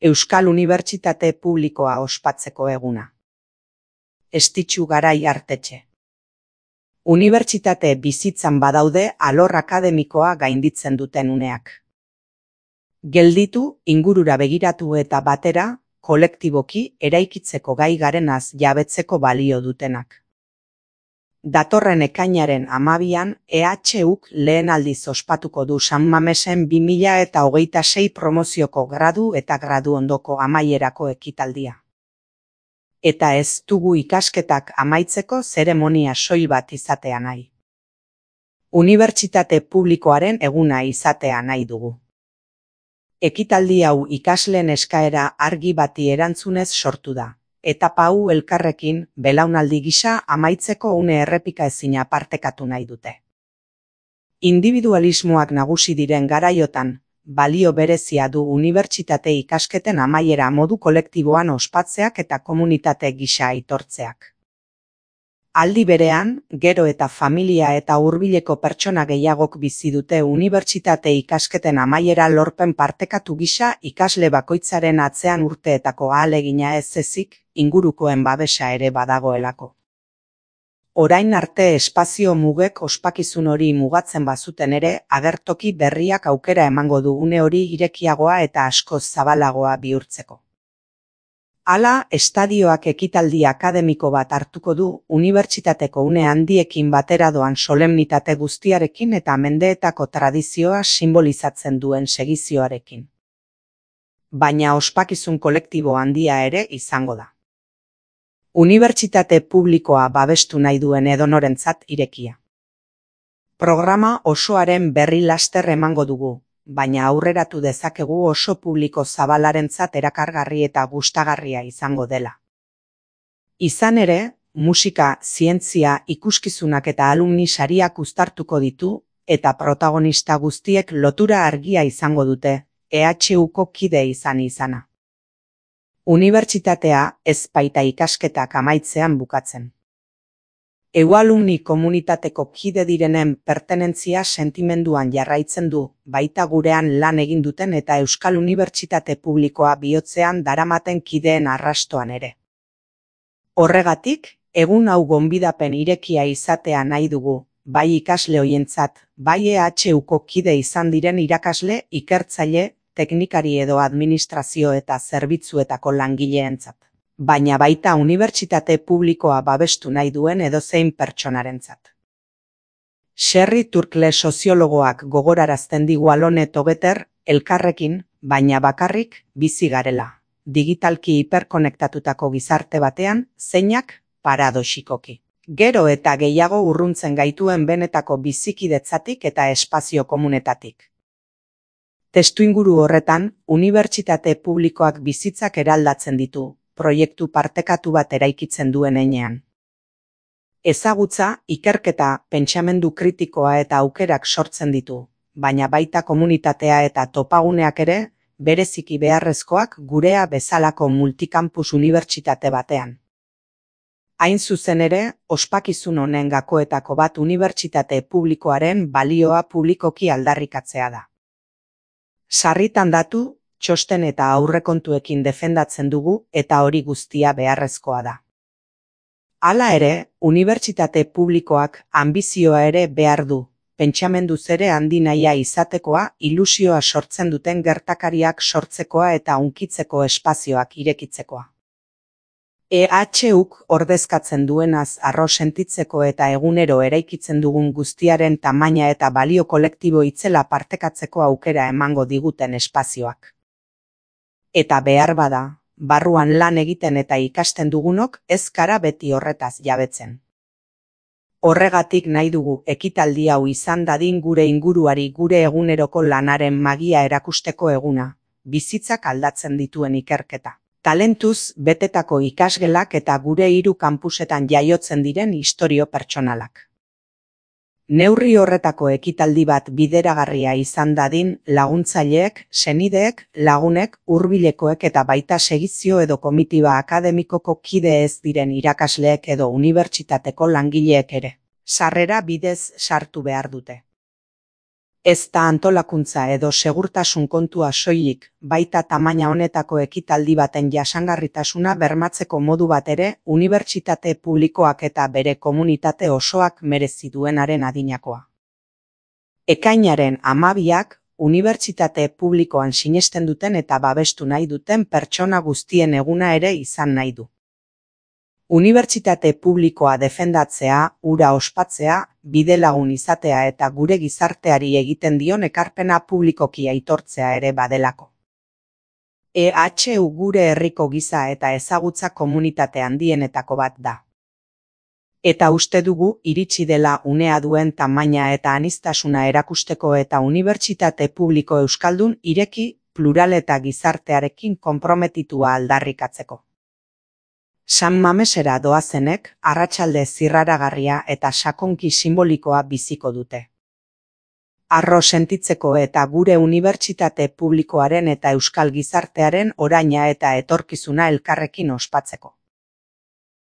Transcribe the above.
Euskal Unibertsitate Publikoa ospatzeko eguna. Estitxu Garai Artetxe. Unibertsitate bizitzan badaude alor akademikoa gainditzen duten uneak. Gelditu, ingurura begiratu eta batera, kolektiboki eraikitzeko gai garenaz jabetzeko balio dutenak. Datorren ekainaren 12an EHUk lehen aldiz ospatuko du San Mamesen 2026 promozioko gradu eta gradu ondoko amaierako ekitaldia. Eta ez dugu ikasketak amaitzeko zeremonia soil bat izatea nahi. Unibertsitate publikoaren eguna izatea nahi dugu. Ekitaldi hau ikasleen eskaera argi bati erantzunez sortu da. Etapa hau elkarrekin, belaunaldi gisa amaitzeko une errepikaezina partekatu nahi dute. Individualismoak nagusi diren garaiotan, balio berezia du unibertsitate ikasketen amaiera modu kolektiboan ospatzeak eta komunitate gisa aitortzeak. Aldi berean, gero eta familia eta hurbileko pertsona gehiagok bizi dute unibertsitate ikasketen amaiera lorpen partekatu gisa ikasle bakoitzaren atzean urteetako ahalegina ez ezik, ingurukoen babesa ere badagoelako. Orain arte espazio mugek ospakizun hori mugatzen bazuten ere, agertoki berriak aukera emango du une hori irekiagoa eta askoz zabalagoa bihurtzeko. Hala, estadioak ekitaldi akademiko bat hartuko du, unibertsitateko une handiekin batera doan solemnitate guztiarekin eta mendeetako tradizioa simbolizatzen duen segizioarekin. Baina ospakizun kolektibo handia ere izango da. Unibertsitate publikoa babestu nahi duen edonorentzat irekia. Programa osoaren berri laster emango dugu, baina aurreratu dezakegu oso publiko zabalarentzat erakargarri eta gustagarria izango dela. Izan ere, musika, zientzia, ikuskizunak eta alumni sariak uztartuko ditu, eta protagonista guztiek lotura argia izango dute, EHUko kide izana. Unibertsitatea ez baita ikasketak amaitzean bukatzen. Alumni komunitateko kide direnen pertenentzia sentimenduan jarraitzen du, baita gurean lan egin duten eta Euskal Unibertsitate Publikoa bihotzean daramaten kideen arrastoan ere. Horregatik, egun hau gonbidapen irekia izatea nahi dugu, bai ikasle hoientzat, bai EHUko kide izan diren irakasle, ikertzaile, teknikari edo administrazio eta zerbitzuetako langileentzat. Baina baita unibertsitate publikoa babestu nahi duen edozein pertsonarentzat. Sherry Turkle soziologoak gogorarazten digu Alone Together, elkarrekin, baina bakarrik, bizi garela. Digitalki hiperkonektatutako gizarte batean, zeinak, paradoxikoki. Gero eta gehiago urruntzen gaituen benetako bizikidetzatik eta espazio komunetatik. Testuinguru horretan, unibertsitate publikoak bizitzak eraldatzen ditu, proiektu partekatu bat eraikitzen duen heinean. Ezagutza, ikerketa, pentsamendu kritikoa eta aukerak sortzen ditu, baina baita komunitatea eta topaguneak ere, bereziki beharrezkoak gurea bezalako multikampus unibertsitate batean. Hain zuzen ere, ospakizun honen gakoetako bat unibertsitate publikoaren balioa publikoki aldarrikatzea da. Sarritan datu, txosten eta aurrekontuekin defendatzen dugu eta hori guztia beharrezkoa da. Hala ere, unibertsitate publikoak anbizioa ere behar du, pentsamenduz ere handi nahia izatekoa, ilusioa sortzen duten gertakariak sortzekoa eta hunkitzeko espazioak irekitzekoa. EHUk ordezkatzen duenaz harro sentitzeko eta egunero eraikitzen dugun guztiaren tamaina eta balio kolektibo itzela partekatzeko aukera emango diguten espazioak. Eta behar bada, barruan lan egiten eta ikasten dugunok ez gara beti horretaz jabetzen. Horregatik nahi dugu ekitaldi hau izan dadin gure inguruari gure eguneroko lanaren magia erakusteko eguna, bizitzak aldatzen dituen ikerketa. Talentuz betetako ikasgelak eta gure 3 kanpusetan jaiotzen diren istorio pertsonalak. Neurri horretako ekitaldi bat bideragarria izan dadin laguntzaileek, senideek, lagunek, hurbilekoek eta baita segizio edo komitiba akademikoko kide ez diren irakasleek edo unibertsitateko langileek ere. Sarrera bidez sartu behar dute. Ez da antolakuntza edo segurtasun kontua soilik, baita tamaina honetako ekitaldi baten jasangarritasuna bermatzeko modu bat ere, unibertsitate publikoak eta bere komunitate osoak merezi duenaren adinakoa. Ekainaren 12ak, unibertsitate publikoan sinesten duten eta babestu nahi duten pertsona guztien eguna ere izan nahi du. Unibertsitate publikoa defendatzea, hura ospatzea, bidelagun izatea eta gure gizarteari egiten dion ekarpena publikoki aitortzea ere badelako. EHU gure herriko giza eta ezagutza komunitate handienetako bat da. Eta uste dugu iritsi dela unea duen tamaina eta aniztasuna erakusteko eta unibertsitate publiko euskaldun ireki, plural eta gizartearekin konprometitua aldarrikatzeko. San Mamesera doazenek, arratsalde zirraragarria eta sakonki sinbolikoa biziko dute. Harro sentitzeko eta gure unibertsitate publikoaren eta euskal gizartearen oraina eta etorkizuna elkarrekin ospatzeko.